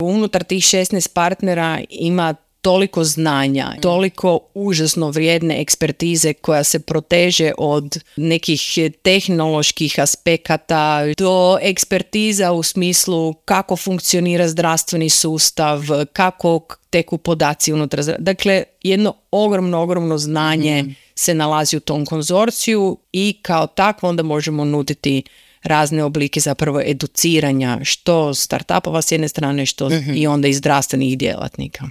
Unutar tih 16 partnera ima toliko znanja, toliko užasno vrijedne ekspertize koja se proteže od nekih tehnoloških aspekata do ekspertiza u smislu kako funkcionira zdravstveni sustav, kako teku podaci unutar. Dakle, jedno ogromno znanje se nalazi u tom konzorciju i kao takvo onda možemo nuditi razne oblike zapravo educiranja što startupova s jedne strane, što i onda i zdravstvenih djelatnika.